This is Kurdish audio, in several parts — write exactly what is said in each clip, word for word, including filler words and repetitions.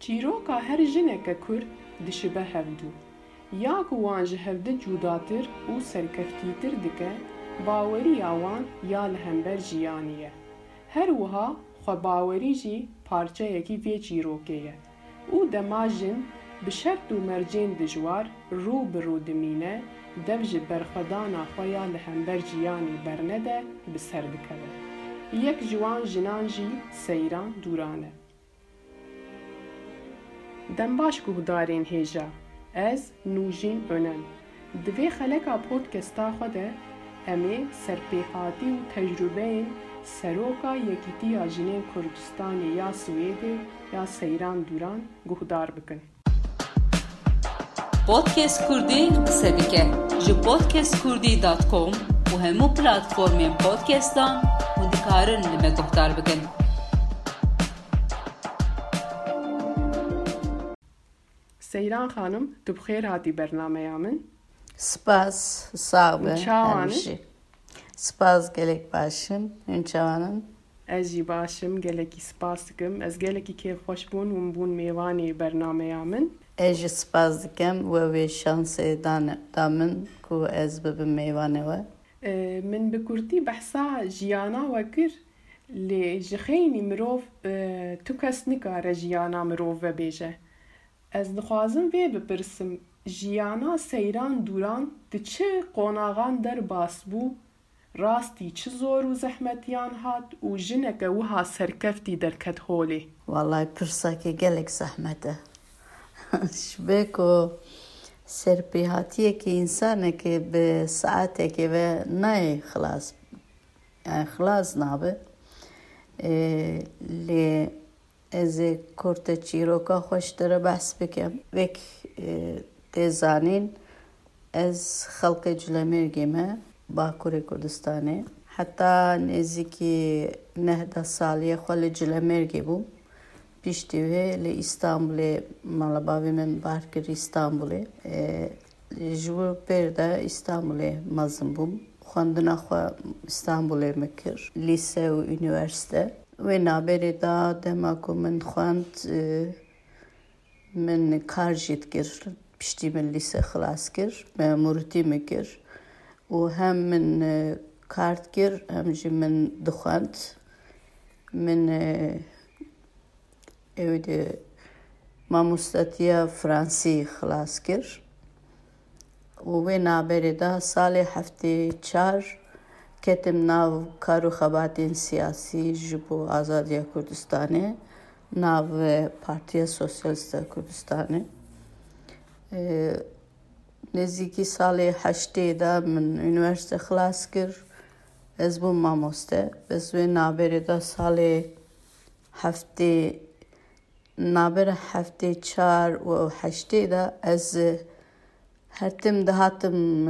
Çîroka her jineke Kurd dişibe hevdu. Ya ku wan ji hevdi cudatir û serkeftîtir dike, baweriya wan ya li hember jiyanî ye. Her wiha xwebawerî jî parçeyekî vê çîrokê ye. Û dema jin bi şert û mercên dijwar rû bi rû dimîne, dev ji berxwedana xwe ya li hember jiyanî bernede, bi ser dikeve. Yek ji wan jinan jî Seyran Dûran e. Dem baş guhdarên hêja. Ez Nûjîn Önen. Di vê xeleka podcasta xwe de em ê serpêhatî û tecrûbeyên Seroka Yekîtiya Jinên Kurdistanê ya Swêdê ya Seyran Dûran guhdar bikin. Podcast Kurdî qise dike. Ji podcast kurdî dot com û hemû platformên podcastan hûn dikarin li me guhdar bikin. Seyran Xanim, tu bi xêr hatî bernameya min. Spas, sax be. Çawan e? Em jî. Spas, gelek baş im. Hûn çawan in? Ez jî baş im, gelekî spas dikim. Ez gelekî kêfxweş bûn hûn bûn mêvanê bernameya min. Ez jî spas dikim we wê şansê dane, da min ku ez bibim mêvanê we. E, min bi kurtî behsa jiyana we kir, lê ji xeynî mirov, e, tu kes nikare jiyana mirov vebêje. Ez dixwazim vê bipirsim, jiyana Seyran Dûran di çi qonaxan derbas bû? Rastî çi zor û zehmetiyan hat û jineke wiha serkeftî derket holê? Wallahî pirsekê gelek zehmet e. Ji ber ku serpêhatiyekê însanekê bi saetekê ve nayê xilas, yani xilas nabe. Ê, lê ez ê kurte çîroka xwe ji te re behs bikim. Wek, e, tê zanîn, ez xelkê Culemêrgê me, Bakurê Kurdistanê. Heta nêzîkî neh deh saliyê xwe li Culemêrgê bûm. Piştî wê li Îstanbulê mala bavê min bar kir Îstanbulê. E, ji bo pêr de Îstanbulê mezin bûm. Xwendina xwe Îstanbulê min kir, lîse û unîversîte. Wê navberê de dema ku min xwend, e, min kar jî dikir. Piştî min lîse xilas kir, memûrîtî min kir û hem min, e, kar dikir, hem jî min dixwend. Min, e, Ew di mamostatiya Fransî xilas kir û wê navberê de salê heftê çar ketim nav kar û xebatên siyasî ji bo azadiya Kurdistanê, nav Partiya Sosyalîst a Kurdistanê. Nêzîkî salê heştê de min unîversîte xilas kir. Ez bûm mamoste. Ez wê navberê de salê heftê, navbera heftê çar û heştê de ez her tim dihatim,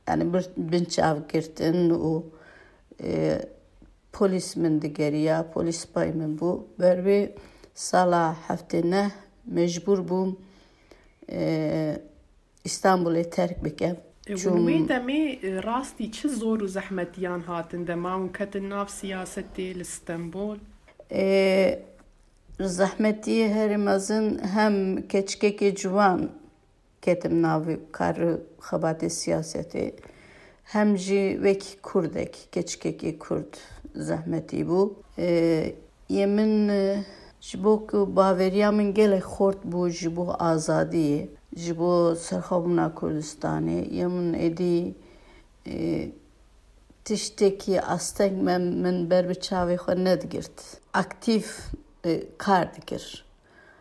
yani bir, binçavgirtin û, e, polîs min digeriya, polîs spay min bû. Ber vê sala heftê neh mecbûr bûm, e, Îstanbulê terk bikim. E, hûn Çûm wê demê, e, rastî çi zor û zehmetiyan hatin dema hûn ketin nav siyasetê li Stenbol? E, zehmetiyê herî mezin hem keçikekê ciwan ketim navê kar û xebatê siyasetê, hem jî wekî kurdek, keçikekê kurd zehmetî bû. E, Yê min, e, ji bo ku baweriya min gelek xort bû ji bo azadiyê, ji bo serxwebûna Kurdistanê, yê min êdî, e, tiştekî asteng me, min ber bi çavê xwe nedigirt. Aktîf, e, kar dikir.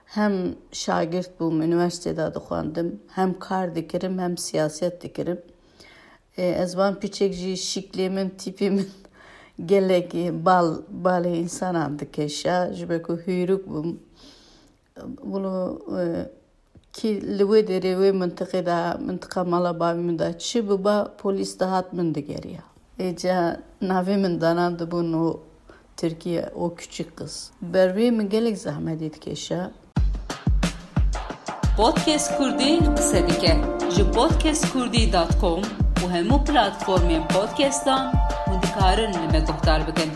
Hem şagirt bûm, unîversîtê de dixwendim, hem kar dikirim, hem siyaset dikirim. E, ez van piçek jî şiklê min, tîpê min gelek, e, bal, balê însanan dikêşa, ji ber ku hûrûk bûm. Wilo, e, kî li wê derê, wê mintiqê de, mintiqa mala bavê min de çi biba, polîs dihat min digeriya. Êca navê min danandibûn û Tirkiye, o küçük kız. Ber vê min gelek zehmetî dikêşe. Podcast Kurdî qise dike. Ji podcast kurdî dot com û hemû platformên podcastan hûn dikarin li me guhdar bikin.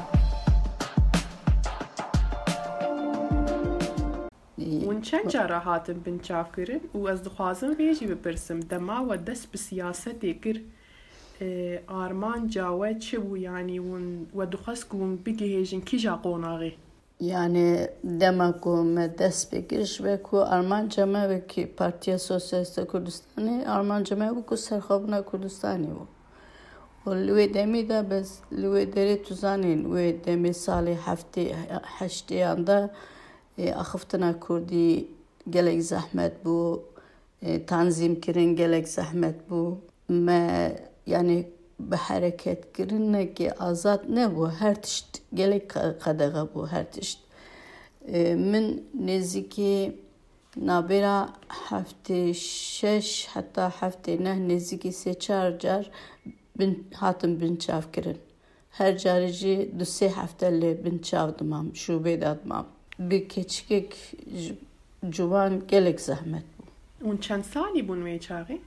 Hûn Çend cara hatin binçavkirin û ez dixwazim vê jî bipirsim, dema we dest bi siyasetê kir, e, armanca we çi bû? Yanî hûn, we dixwest ku hûn bigihêjin kîja qonaxê? Yani dema ku me dest pê kir, ji ber ku armanca me wekî Partiya Sosyalîst a Kurdistanê, armanca me bû ku serxwebûna Kurdistanê bû. Û li wê demî de, bes li wê derê tu zanîn, wê demê salê heftê, heştêyan de, e, axiftina Kurdî gelek zehmet bû, e, tanzîm kirin gelek zehmet bû. Me, yani, bi hereketkirinekê azad nebû, her tişt gelek qe-, qedexe bû, her tişt. E, min nêzîkî nabêra heftê şeş heta heftê neh, nêzîkî sê çar car bin, hatim binçavkirin. Her carê jî du sê hefte li bin çav dimam, şûbê de dimam. Bi keçikek ji, ciwan gelek zehmet bû. Hûn çend salî bûn wê çaxê?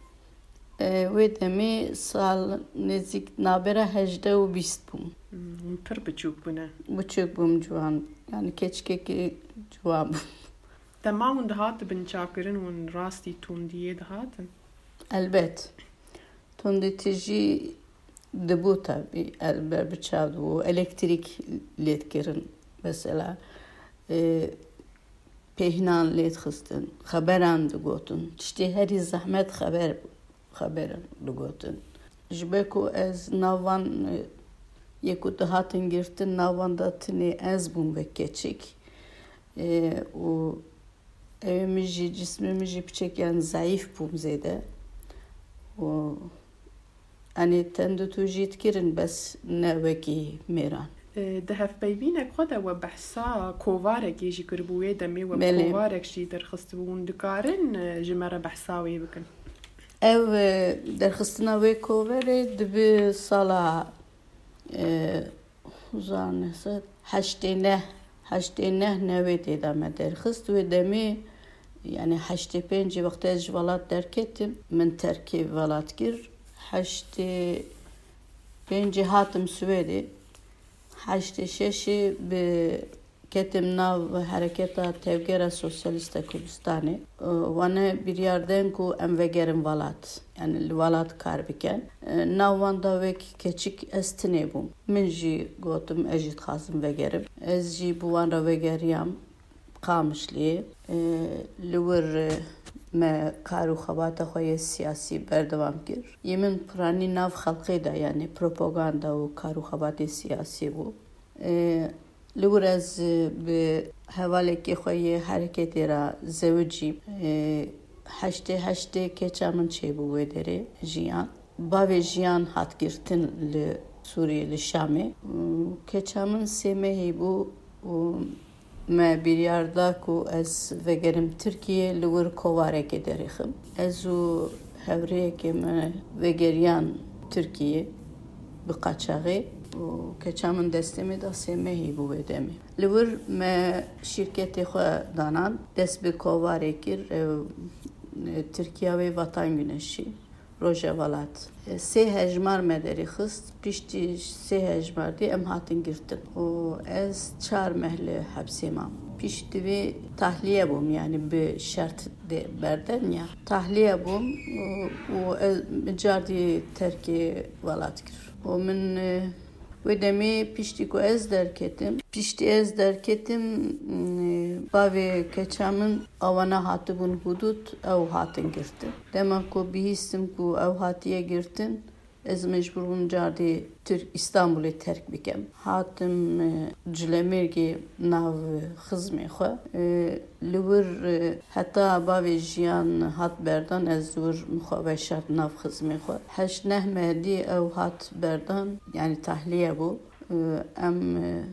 E, wê demê sal nêzîk nabêra hejdeh û bîst bûm. Hmm, hûn pir biçûk bûne. Biçûk bûm, ciwan. Yani keçikekî ciwan bûm. Dema hûn dihatin binçavkirin, hûn rastî tundiyê dihatin? Elbet. Tundî tijî dibû tabî, el ber bi çav dibû, elektrîk lê dikirin mesela, e, pêhnan lê dixistin, xeberan digotin. Tiştê herî zehmet xeber bû, xeberan digotin. Ji ber ku ez nav van, e, yê ku dihatin girtin, nav van de tinê ez bûm wek keçik. E, û Ew ê min jî, cismê min jî piçek, yani, zayîf bûm zêde. Û, yani, tendûtû jî dikirin, bes ne wekî mêran. E, di hevpeyvînek xwe de we behsa kovarekê jî kiribû, wê demê we Belê. Kovarek jî derxistibû. Hûn dikarin, e, ji me re behsa wê bikin? Ew, e, derxistina wê koverê dibi sala, e, hezar neh sed heştê neh, heştê neh newêdê de me derxist. Wê demê, yani heştê pêncê wextê ez ji welat derketim, min terkê welat kir. Heştê pêncê hatim Swêdê. Heştê şeşê bi ketim nav Hereketa Tevgera Sosyalîst a Kurdistanê. Wane biryar den ku em vegerin welat, yani li welat kar bikin. Nav wan da wek keçik ez tinê bûm. Min jî gotim, ez jî dixwazim vegerim. Ez jî bi wan re vegeriyam Qamişliyê. Li wir me kar û xebata xwe yê siyasî berdewam kir. Yê min piranî nav xelqê de, yani propaganda û kar û xebatê siyasî bû. Li wir ez, e, bi hevalekê xwe yê hereketê re zewicîm. E, heştê heştê keça min çêbû wê derê, Jiyan. Bavê Jiyan hat girtin li Sûriyê, li Şamê. Û keça min sê mehî bû û me biryar da ku ez vegerim Tirkiyê, li wir kovarekê derêxim. Ez û hevrêyekê me vegeriyan Tirkiyê bi qaçaxê û keça min destê me da sê mehî bû wê demê. Li wir me şîrketê xwe danan, dest bi kovarê kir, ew, e, Tirkiya wê Vatan Güneşi, Roja Welat. E, sê hejmar me derê xist, piştî sê hejmar dî em hatin girtin. Û ez çar meh li hepsê mam. Piştî vê tahliye bûm, yani bi şert de berden ya. Tahliye bûm û, û ez min cardî terkê welat kir. Û min, e, wê demê piştî ku ez derketim, piştî ez derketim, e, bavê keça min awana hatibûn hudud, ew hatin girtin. Dema ku bihîstim ku ew hatiye girtin, ez mecbûr bûm cardî Tirk, Îstanbulê terk bikem. Hatim, e, Cilemêrgê nav xizmê xwe. E, li wir, e, heta bavê Jiyan hat berdan, ez li wir min xwe veşart nav xizmê xwe. Heşt neh meh dî ew hat berdan, yani tahliye bû. E, em, e,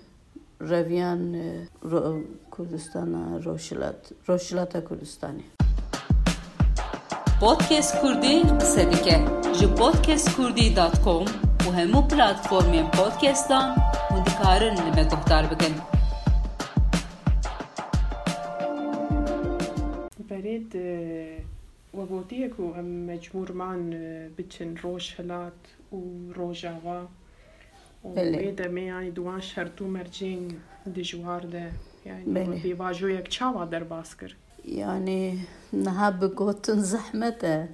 reviyan, e, ro-, Kurdistana Rojhilat, Rojhilata Kurdistanê. Podcast Kurdî qise dike. Ji podcast kurdî dot com û hemû platformên podcastan hûn dikarin li me guhdar bikin. Berê di, we gotiye ku em mecbûr man, e, biçin Rojhilat û Rojava. Û Belê. Wê demê, yani, di wan şert û mercên dijwar de, yani, Belê. we pêvajoyek çawa derbas kir? Yani niha bi gotin zehmet e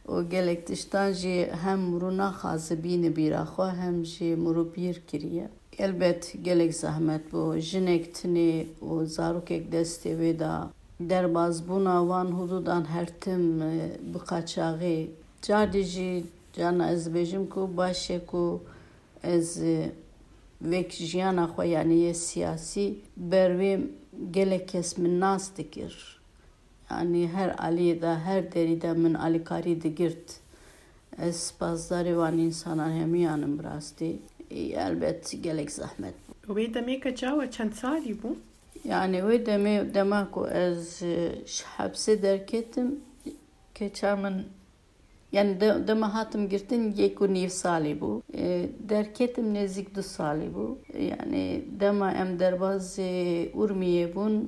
û gelek tiştan jî hem mirû naxwaze bîne bîra xwe hem jî mirû bîr kiriye. Elbet gelek zehmet bû. Jinek tinê û zarokek destê wê de derbazbûna wan hudûdan her tim, e, bi qaçaxî. Cardî jî carna ez dibêjim ku baş e ku ez, e, vek jiyana xwe, yanî yê siyasî, ber wê gelek kes min nas dikir. Yanî her aliyê de, her derî de min alîkarî digirt. Ez spasdarê wan însanan hemiyan im bi rastî. Ê, elbet gelek zehmet bû. Wê demê keça we çend salî bû? Yani wê demê, dema ku ez, e, ji hepsê derketim, keça min, yani de-, dema hatim girtin yek û nîv salî bû. E, derketim nêzîk du salî bû. Yani dema em derbazê Urmiyê bûn,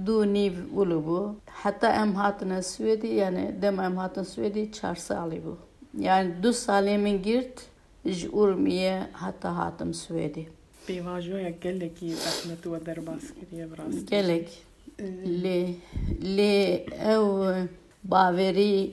du û nîv wilo bû. Heta em hatine Swêdê, yani dema em hatin Swêdê çar salî bû. Yani du salê min girt, ji Urmiyê heta hatim Swêdê. Pêvajoya gelekî zehmet we derbas kiriye, bi rastî. Gelek. Ee, Lê, lê ew bawerî,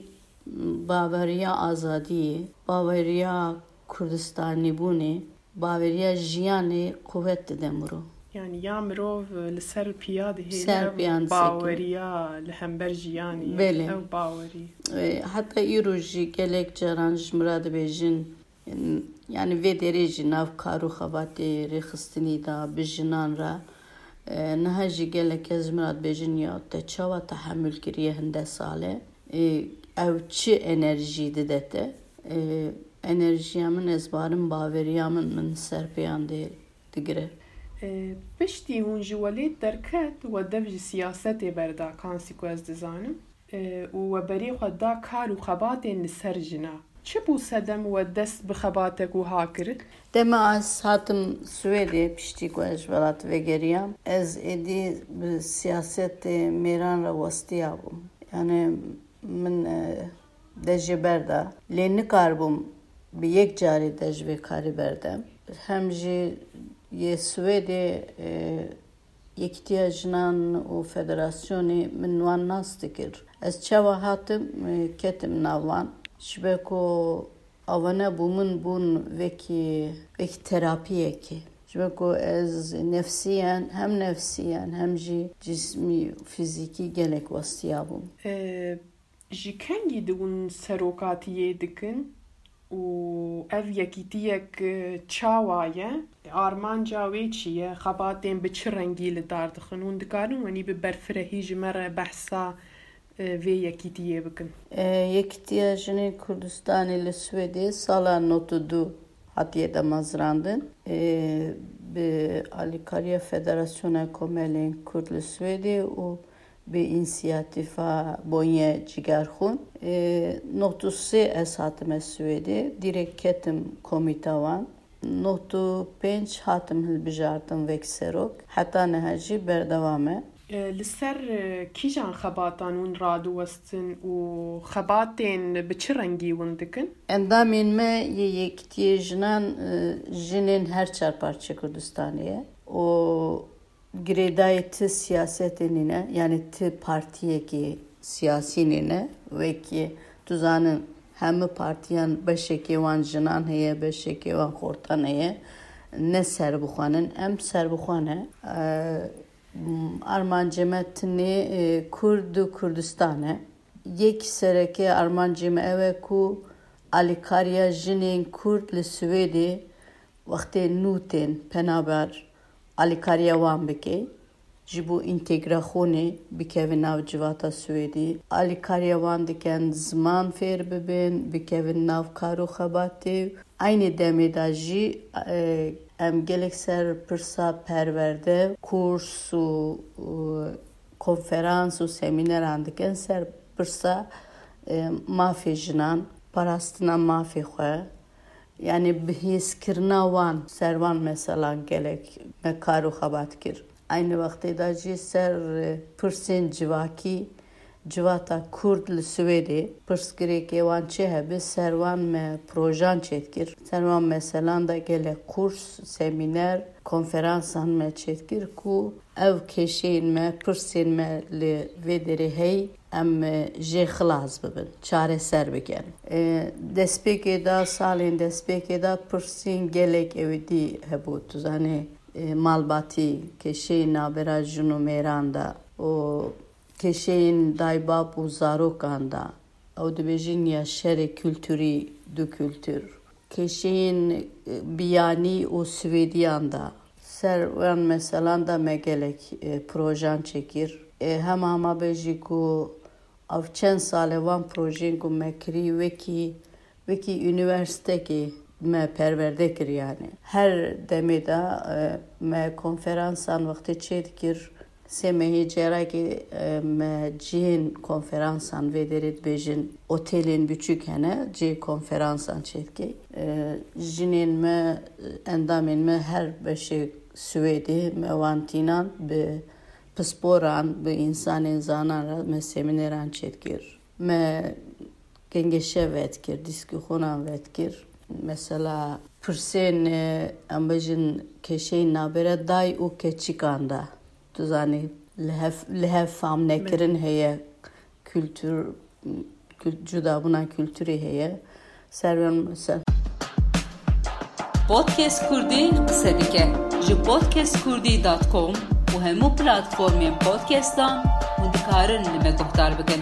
baweriya azadiyê, baweriya Kurdistanîbûnê, baweriya jiyanê quwet dide mirov. Yani ya mirov li ser piya dihêle, Ser ev piyan disekine. Baweriya li hember jiyanê ye. Belê. Ew bawerî. E, heta îro jî gelek caran ji min re dibêjin, yani vê derê jî nav kar û xebatê rêxistinî de bi jinan re, e, niha jî gelek kes ji min re dibêjin, ya te çawa tehemûl kiriye hinde sale? E, ew çi enerjî dide te? E, enerjiya min, ez barim baweriya min, min ser pêyan dê digire. E, piştî hûn ji welêt derket, we dev ji siyasetê berda, kansî ku ez dizanim. E, û we berê xwe da kar û xebatên li ser jina. Çi bû sedem we dest bi xebatek wiha kir? Dema ez hatim Swêdê, piştî ku ez ji welat vegeriyam, ez êdî bi siyasetê mêran re westiya bûm. Yani min, e, dejê berda. Lê nikaribûm bi yek carê dej vê karî berdem. Hem jî yê Swêdê, e, Yekîtiya Jinan û Federasyonê min wan nas dikir. Ez çawa hatim, e, ketim nav wan. Ji ber ku avane bû min bûn wekî, wekî terapiyekê. Ji ber ku ez nefsiyen, hem nefsiyen, hem jî cismî, fîzîkî gelek westiya bûm. E, Ji kengî de hûn serokatiyê dikin û ev yekîtiyek, e, çawa ye? Armanca wê çi ye? Xebatên bi çi rengî li dar dixin? Hûn dikarin wenî bi berfirehî ji me re behsa, e, vê yekîtiyê bikin? E, Yekîtiya Jinên Kurdistanê li Swêdê sala nod û du hatiye damezrandin. E, bi alîkariya Federasyona Komelên Kurd li Swêdê û bi însiyatîfa Bonye Cigerxûn, e, nod û sê ez hatime Swêdê, dîrek ketim komîta wan. Nod û pênc hatim hilbijartin wek serok, heta niha jî berdewam e. E, li ser, e, kîjan xebatan hûn radiwestin û xebatên bi çi rengî hûn dikin? Endamên me yê Yekîtiyê Jinan, e, jinên her çar parçeyê Kurdistanê ye û girêdayî ti siyasetê nîne, yanî ti partiyekî siyasî nîne. Wekî tu zanin, hemû partiyan beşekê wan jinan heye, beşekê wan xortan heye. Ne serbixwe ne, em serbixwe ne. E, armancê me tinê, e, Kurd û Kurdistan e. Yek sereke armancê me ew e ku alîkariya jinên Kurd li Swêdê wextê nû tên penaber, alîkariya wan bike, ji bo întegraxonê bikevin nav civata Swêdî. Alîkariya wan dikin ziman fêr bibin, bikevin nav kar û xebatê. Eynî demê de jî, e, em gelek ser pirsa perwerde, kurs û, û konferans û semîneran dikin ser pirsa, e, mafê jinan, parastina mafê xwe, yanî bihêzkirina wan, ser wan meselan gelek me kar û xebat kir. Eynî wextê de jî ser, e, pirsên civakî, Civata Kurd li Swêdê pirsgirêkê wan çi hebe, ser wan me projan çêdikir. Ser wan meselan de gelek kurs, semîner, konferansan me çêdikir ku ev kêşeyên me, pirsên me li vê derê hey, em jê xilas bibin, çareser bikin. E, destpêkê de, salên destpêkê de pirsên gelek ewidî hebû, tu zanî, e, malbatî, kêşeyên navbera jin û mêran de û kêşeyên daybab û zarokan de. Ew dibêjin ya şerê kulturî du kultur. Kêşeyên, e, biyanî û Swêdiyan de. Ser wan meselan de me gelek, e, projan çêkir. E, hema hema bêjî ku ev çend sal e wan projeyên ku me kirî wekî, wekî unîversîtekê me perwerde kir yanî. Her demê de, e, me konferansan wextê çêdikir. Sê mehê cêrekê, e, me cihên konferansan vê derê dibêjin, otêlên biçûk hene, cihê konferansan çêdike. E, jinên me, endamên me her beşê Swêdê me wan tînan bi pisporan, bi însanên zanan re me semîneran çêdikir. Me gengeşe vedikir, dîskûxûnan vedikir. Mesela pirsên, e, em bêjin kêşeyên nabêre day û keçikan de. Tu zanî, li hev, li hev fam nekirin heye, kultur, kul-, cudabûna kulturê heye. Ser wan ser. Podcast Kurdî qise dike. Ji podcast kurdî dot com û hemû platformên podcastan hûn dikarin li me guhdar bikin.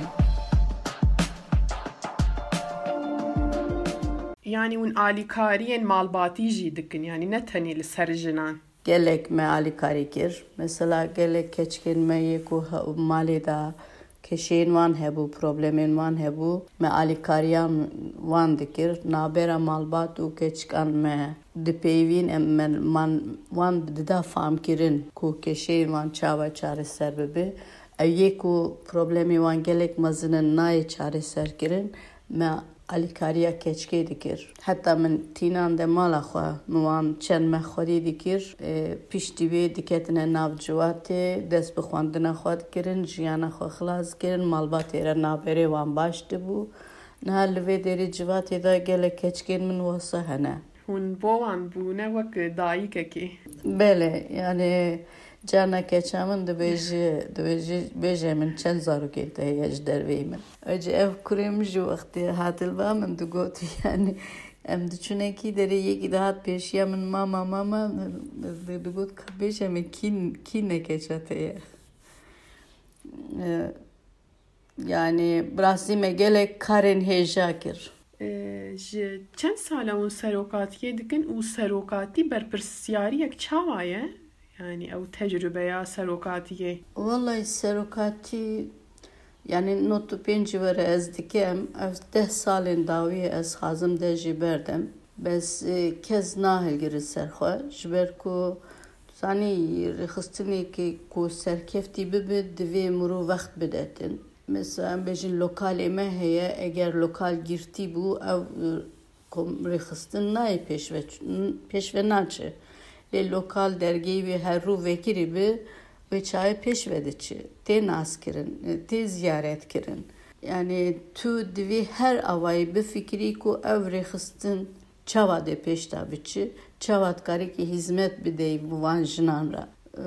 Yanî hûn alîkariyên malbatî jî dikin, yanî ne tenê li ser jinan. Gelek me alîkarî kir. Mesela gelek keçikên me yê ku he-, malê de kêşeyên wan hebû, problemên wan hebû, me alîkariya wan dikir. Nabêra malbat û keçikan me dipeyivîn, em me, man, wan dida famkirin ku kêşeyên wan çawa çareser bibe. Ew yê ku problemê wan gelek mezin in nayê çareserkirin, me alîkariya keçikê dikir. Heta min tînan de mala xwe, min wan çend meh xwedî dikir. E, piştî wê diketine nav civatê, dest bi xwendina xwe dikirin, jiyana xwe xilas dikirin, malbatê re navberê wan baş dibû. Niha li vê derê civatê de gelek keçikên min wesa hene. Hûn bo wan bûne wek dayikekê. Belê, yanî carna keça min dibêje, dibêje, bêje min çend zarokên te heye ji derveyî min. Ecî ev kurê min jî wextê hat li ba min digot, yanî em diçûne kî derê, yekî dihat pêşiya min, mama, mama, di-, digot, ka bêje min kî, kî ne keça te ye? E, Yanî bi rastî me gelek karên hêja kir. E, ji çend sal e hûn serokatiyê dikin û serokatî berpirsiyariyek çawa ye? Yanî ew tecrûbeya serokatiyê? Wellahî serokatî, yanî nod û pêncî were ez dikim, ev deh salên dawî ye ez xazim deh jî berdim. Bes, e, kes nahilgire ser xwe, ji ber ku, tu zanî, rêxistinekê ku serkeftî bibe, divê mirov wext bidetin. Mesela, em bêjin lokalê me heye, eger lokal girtî bû, ew, e, kom-, rêxistin nayê pêşve ç-, n-, pêşve naçe. Lê lokal dergehê wê her rû vekirî bi, wê çaye pêşve diçe. Tê naskirin, e, tê ziyaretkirin. Yanî tu divê her awayî bifikirî ku ev rêxistin çawa dê pêş de biçi, çawa dikarî ki hizmet bideyî bi van jinan re. E,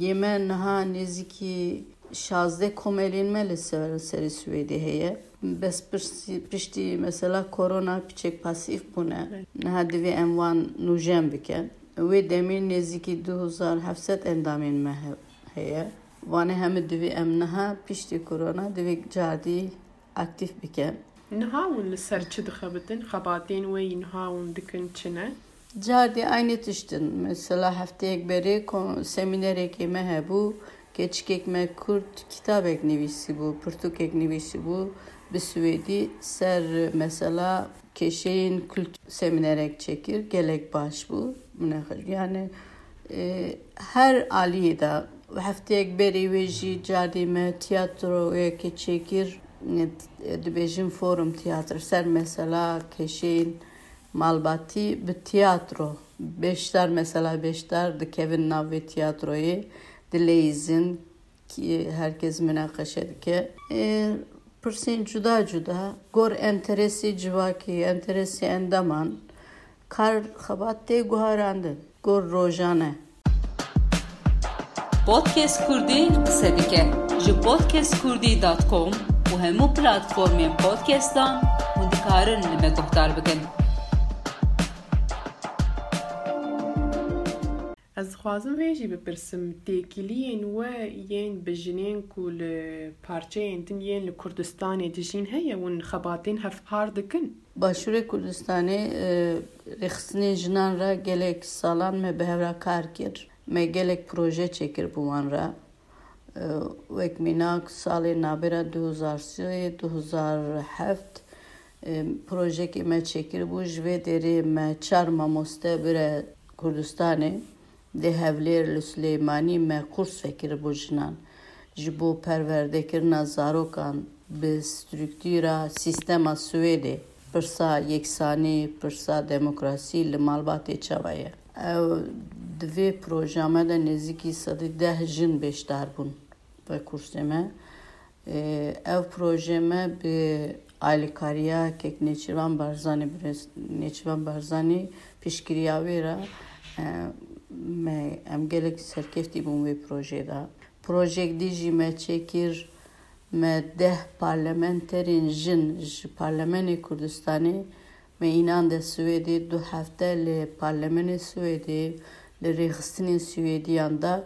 yê me niha nêzîkî şazdeh komelên me li ser, serê Swêdê heye. Bes piştî, piştî mesela korona piçek pasîf bûne. Evet. Niha divê em wan nûjen bikin. Wê demê nêzîkî du hezar heft sed endamên me he-, heye. Vane hemî divê em niha piştî korona divê cardî aktîf bikin. Niha hûn li ser çi dixebitin? Xebatên we yî niha hûn dikin çi ne? Cardî aynî tişt in. Mesela hefteyek berê ko-, semînerekê me hebû. Keçikek me kurd kitabek nivîsîbû, pirtûkek nivîsîbû bi swêdî ser mesela kêşeyên kultur semînerek çêkir. Gelek baş bû. Min e-, yani, e, her aliyê de hefteyek berê wê jî cardî me tiyatroyekê çêkir, e, dibêjin forum tiyatr ser mesela kêşeyên malbatî bi tiyatro. Beşdar, mesela beşdar dikevin nav vê tiyatroyê, dileyîzin, ki herkes münaqeşe dike. E, pirsên cuda cuda, gor enteresê civakî, enteresê endaman, kar xebat tê guharandin. Gor rojane. Podcast Kurdî qise dike. Ji podcast kurdî dot com û hemû platformên podcastan hûn dikarin li me guhdar bikin. Ez dixwazim vê jî bipirsim, têkiliyên we yên bi jinên ku li parçeyên din yên li Kurdistanê dijîn heye, hûn xebatên hevpar dikin? Başûrê Kurdistanê, e, rêxistinên jinan re gelek salan me bi hev re kar kir. Me gelek proje çêkir bi wan re. E, wek mînak salê nabêra du hezar sê, du hezar heft, e, projekê me çêkiribû. Ji vê derê me çar mamoste bire Kurdistanê. Li Hewlêr, li Silêmanî me kurs vekiribû jinan. Ji bo perwerdekirina zarokan bi struktûra sîstema Swêdê, pirsa yeksanî, pirsa demokrasî li malbatê çawa ye? Ew di vê projeya me de nêzîkî sedî deh jin beşdar bûn ve kursê me. Ev proje me bi alîkariya kek Nêçîrvan Barzanî, birêz Nêçîrvan Barzanî piştgiriya wê re, e, me, em gelek serkeftî bûn wê projeyê de. Projeyek dî jî me çêkir, me deh parlamenterên jin ji Parlemenê Kurdistanê me înan de Swêdê du hefte li Parlemenê Swêdê, li rêxistinên Swêdiyan de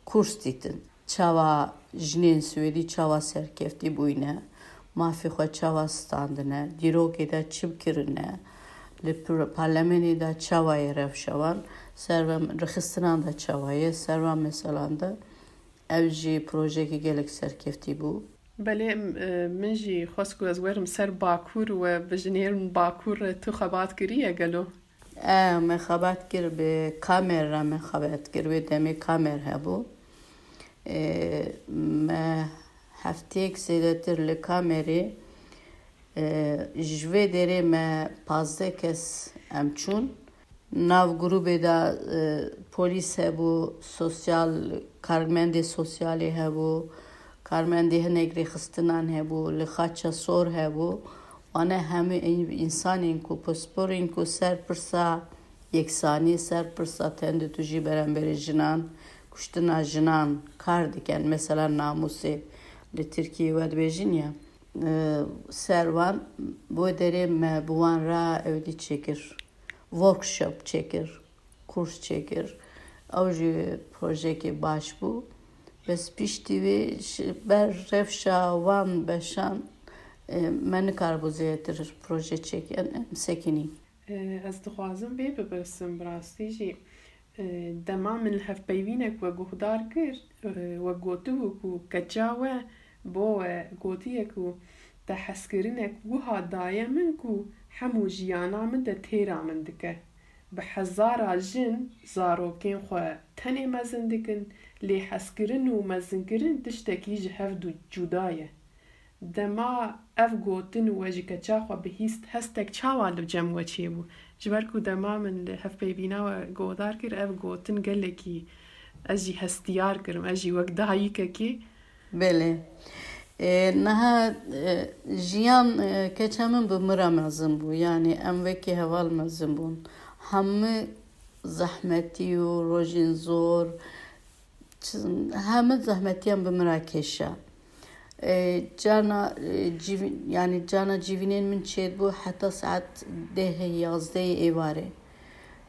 kurs dîtin. Çawa jinên Swêdî çawa serkeftî bûyne, mafê xwe çawa standine, dîrokê de çi kirine, li pir-, parlemenê de çawa ye rewşa wan, ser van rêxistinan de çawa ye, ser van meselan de ev jî projeyekî gelek serkeftî bû. Belê, m-, e, min jî xwest ku ez werim ser Bakur we bijinêrim Bakur re tu xebat kiriye gelo? E, me xebat kir bi Kamer re me xebat kir, wê demê Kamer hebû. E, me hefteyek zêdetir li Kamerê, e, ji vê derê me pazdeh kes em çûn. Nav grûbê de, e, polîs hebû, sosyal, karmendê sosyalê hebû, karmendê hinek rêxistinan hebû, li Xaça Sor hebû. Wane hemû ên-, însanên ku, pisporên ku ser pirsa yeksanî, ser pirsa tendûtûjî beramberî jinan, kuştina jinan kar dikin, mesela namûsê li Tirkiyê we dibêjin ya, e, ser wan bo derê me bi wan re ewdî çêkir, workshop çêkir, kurs çêkir. Ew jî projeyekê baş bû. Bes piştî wê ji ber rewşa wan beşan, e, me nikaribû zêdetir proje çêkin, em sekinî. E, ez dixwazim vê bipirsim, bi rastî jî, e, dema min li hevpeyvînek we guhdar kir, e, we gotibû ku keça we bo we gotiye ku te hezkirinek wiha daye min ku hemû jiyana min de têra min dike. Bi hezara jin zarokên xwe tenê mezin dikin, lê hezkirin û mezinkirin tiştekî ji hev du cuda ye. Dema ev gotin we ji keça xwe bihîst, hestek çawa li cem we çêbû? Ji ber ku dema min li hevpeyvîna we guhdar kir, ev gotin gelekî ez jî hestiyar kirim, ez jî wek dayikekê. Belê. E, niha, e, jiyan, e, keça min bi min re mezin bû. Yanî em wekî heval mezin bûn. Hemû zehmetî û rojên zor, çi-, hemû zehmetiyan bi min re kêşa. E, carna, e, civî-, yanî carna civînên min çêdibû heta saet dehê, yazdehê êvarê.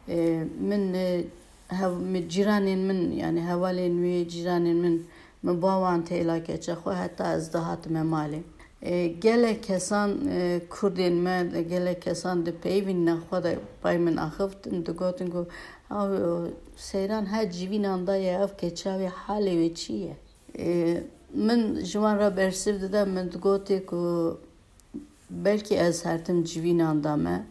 E, min, e, hev-, min, cîranên min, yanî hevalên wê, cîranên min, min ba wan têla keça xwe heta ez dihatime malê. E, gelek kesan, e, kurdên me, gelek kesan dipeyivînin xwe de pay min axiftin, digotin ku, "Ew, e, Seyran her civînan de ye, ev keça wê halê wê çi ye?" E, min ji wan re bersiv dide, min digotê ku belkî ez her tim civînan de me,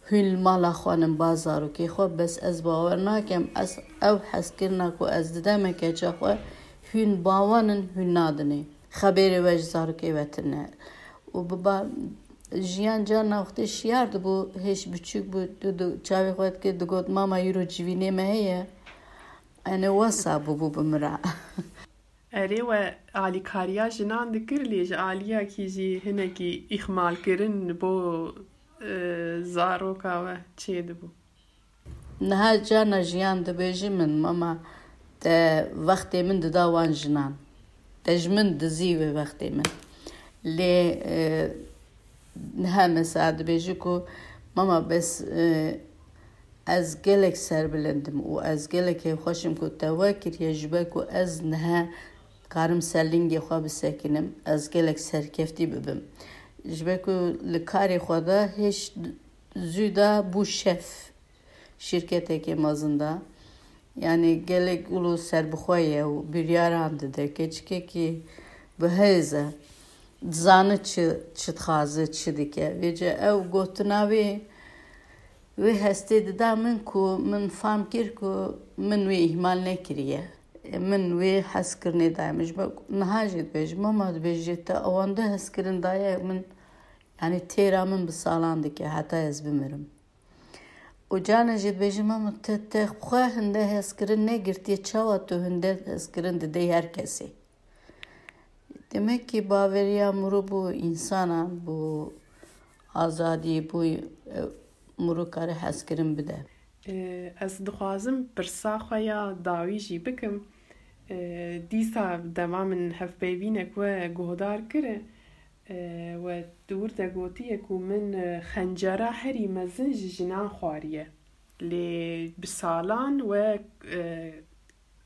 hûn li mala xwe nin ba zarokê xwe, bes ez bawer nakem, ez ew hezkirina ku ez dideme keça xwe, hûn ba wan in, hûn nadinê. Xeberê we ji zarokê ve tune. Û bi ba-, jiyan carna wextê şiyar dibû, hêj biçûk bû, tu, tu çavê xwe dikir, digot, "Mama, îro civînê me heye." Ene wesa bûbû bi min re. Erê, we alîkariya jinan dikir, lê ji aliyekî jî hinekî îxmalkirin bo, e, zaroka we çêdibû? Niha carna jiyan dibêjî min, mama, te wextê min dida wan jinan. Te ji min dizî wê wextê min. Lê, e, niha mesela dibêjî ku, mama, bes, e, ez gelek serbilind im û ez gelek hêvxweş im ku te we kiriye, ji ber ku ez niha karim ser lingê xwe bisekinim, ez gelek serkeftî bibim. Ji ber ku li karê xwe de hêj zû de bû şef. Şîrketekê mezin de. Yanî gelek ûlo serbixwe ye û biryaran dide. Keçikekî bi hêz e. Dizane çi, çi dixwaze, çi dike. Vêce ew gotina wê, wê hestê dida min ku min fam kir ku min wê îhmal nekiriye. Min wê hezkirinê daye min. Ji ber niha jî dibêjim, mama, dibêjê te ewande hezkirin daye min, yanî têra min bi salan dike, heta ez bimirim. Û carna jî dibêjim, mama, te, te xwe hinde hezkirin negirtiye, çawa tu hinde hezkirin didey her kesê? Demek ki baveriya mirû bo însanan, bo azadî, bo, e, mirû kare hezkirin bide. E, ez dixwazim pirsa xwe ya dawî jî bikim. E, dîsa dema min hevpeyvînek we guhdar kir, e, we di wir de gotiye ku min, e, xencera herî mezin ji jinan xwariye. Lê bi salan we, e,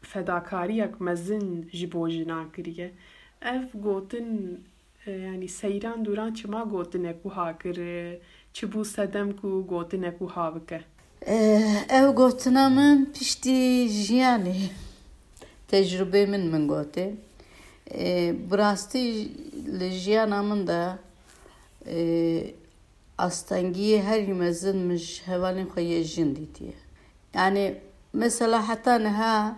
fedakariyek mezin ji bo jinan kiriye. Ev gotin, e, yanî seyran dûran çima gotinek wiha kir, e, çi bû sedem ku gotinek wiha bike? E, ew gotina min piştî jiyanê, tecrûbê min, min gotê. E, bi rastî li jiyana min de, e, astengiyê herî mezin min ji hevalên xwe yê jin dîtiye. Yanî mesela heta niha,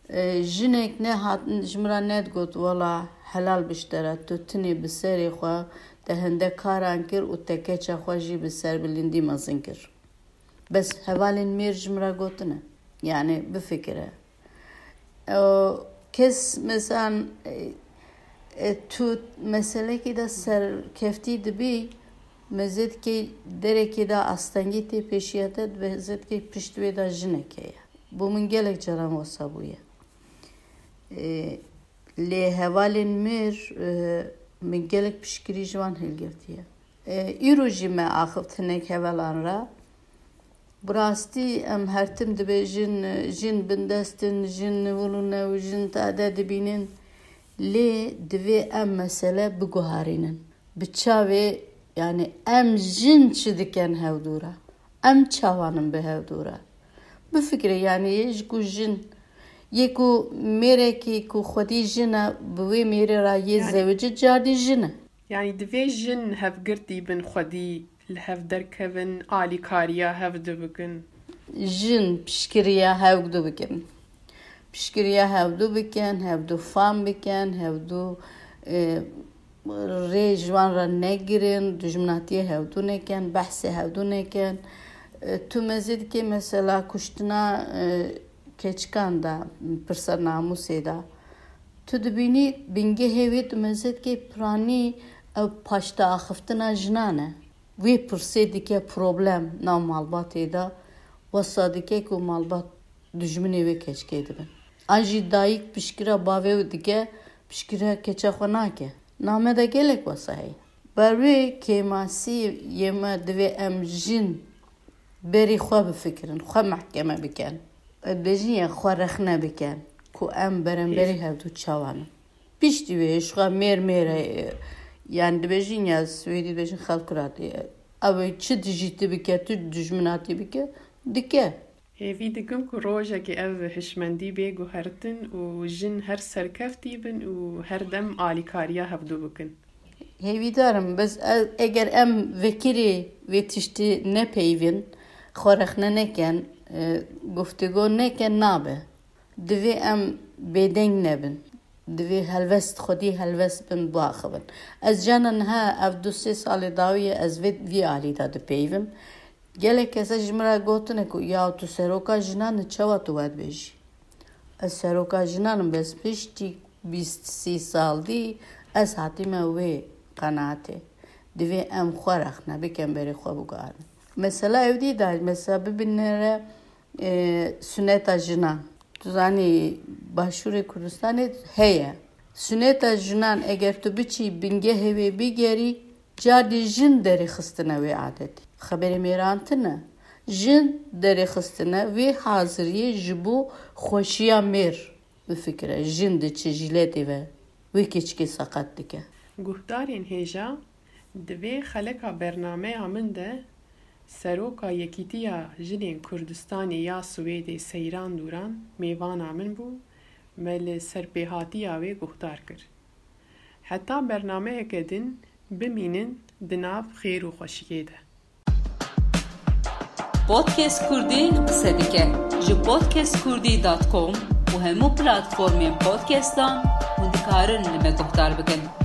e, jinek nehat, ji min re nedigot, wela helal biştera, tu tinê bi serê xwe te hinde karan kir û te keça xwe jî bi serbilindî mezin kir. Bes hevalên mêr ji min re gotine. Yanî bifikire. Ew kes mesela, e, e, tu meselekê de serkeftî dibî, mezêtkê derekê de astengî tê pêşiya te, mezêtkê pişt wê de jinek heye. Bo min gelek caran wesa bûye. E, lê hevalên mêr, e, min gelek piştgirî ji wan hilgirtiye. E, îro jî me axivt hinek hevalan re. Bi rastî em her tim dibêjin, jin bindest in, jin wil û new, jin tade dibînin. Lê divê em mesele biguherînin. Bi çavê, yanî em jin çi dikin hevdû re? Em çawan in bi hevdû re? Bifikire, yanî yê ji ku jin, yê ku mêrekî ku xwedî jin e, bi wê mêrê re yê Yanî zewicî cardî jin e. Yanî divê jin hevgirtî bin xwedî li hev derkevin, alîkariya hevdu bikin. Jin piştgiriya hevdu bikin. Piştgiriya hevdu bikin, hevdu fam bikin, hevdu, e, rê ji wan re negirin, dijminatiyê hevdu nekin, behsê hevdu nekin. E, tu mezê dikê mesela kuştina, e, keçikan de, pirsa namûsê de. Tu dibînî bingehê wê tu mezêtkê piranî ew paşteaxiftina jinan e. Wê pirsê dike problem nav malbatê de, wesa dike ku malbat dijminê wê keçikê dibin. An jî dayik piştgira bavê wê dike, piştgira keça xwe nake. Nav me de gelek wesa heye. Ber wê kêmasî yê me divê em jin berî xwe bifikirin, xwe mehkeme bikin. Dibêjin ya xwe rexne bikin ku em beramberî Hêj. hevdu çawan in. Piştî wê ji xwe mêr mêr e, yani dibêjin ya Swêdî dibêjin Självklart. Ew ê çi dijî tu bike, tu dijminatî bike, dike. Hêvî dikim ku rojekê ev hişmendî bê guhertin û jin her serkeftî bin û her dem alîkariya hevdu bikin. Hêvîdar im, bes e-, eger em vekirî vê tiştî nepeyivin, xwe rexne nekin, e, guftûgo nekin, nabe. Divê em bêdeng nebin. Divê helwest, xwedî helwest bin, biaxivin. Ez cana niha ev du sê salê dawî ye, ez vê, vî alî de dipeyivim. Gelek kese ji min re gotine ku, ya tu seroka jinan î, çawa tu we dibêjî? Ez seroka jinan im, bes piştî Bîst sî sal dî ez hatime wê qenaatê. Divê em xwe rexne bikin berê xwe biguharin. Mesela ew dî da, mesela bibinere, e, suneta jinan. Tu zanî Başûrê Kurdistanê heye. Suneta jinan eger tu biçî bingehê wê bigerî, cardî jin derêxistine wê adetî. Xeberê mêran tine. Jin derêxistine wê haziriyê ji bo xweşiya mêr. Bifikire, jin diçe jîletê ve wê keçikê seqet dike. Guhdarên hêja, di vê xeleka bernameya min de Seroka Yekîtiya Jinên Kurdistanê ya Swêdê Seyran Dûran mêvana min bû, me li serpêhatiya wê guhdar kir. Heta bernameyeke din bimînin di nav xêr û xweşiyê de. Podcast Kurdî qise dike. Ji podcast kurdî dot com û hemû platformên podcastan hûn dikarin li me guhdar bikin.